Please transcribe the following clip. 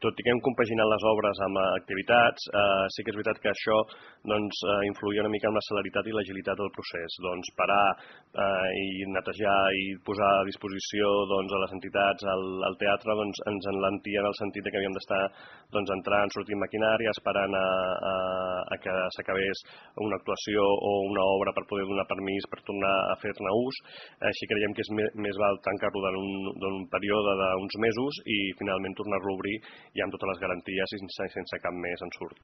tot i que hem compaginat les obres amb activitats, sí que és veritat que això influïa una mica en la celeritat i l'agilitat del procés. Parar i netejar i posar a disposició a les entitats, al teatre, ens enlentia en el sentit que havíem d'estar entrant, sortint maquinària, esperant a que s'acabés una actuació o una obra per poder donar permís per tornar a fer-ne ús. Així creiem que és més val tancar-lo en un període d'uns mesos i finalment tornar-lo a obrir ja amb totes les garanties i sense cap més ensurt.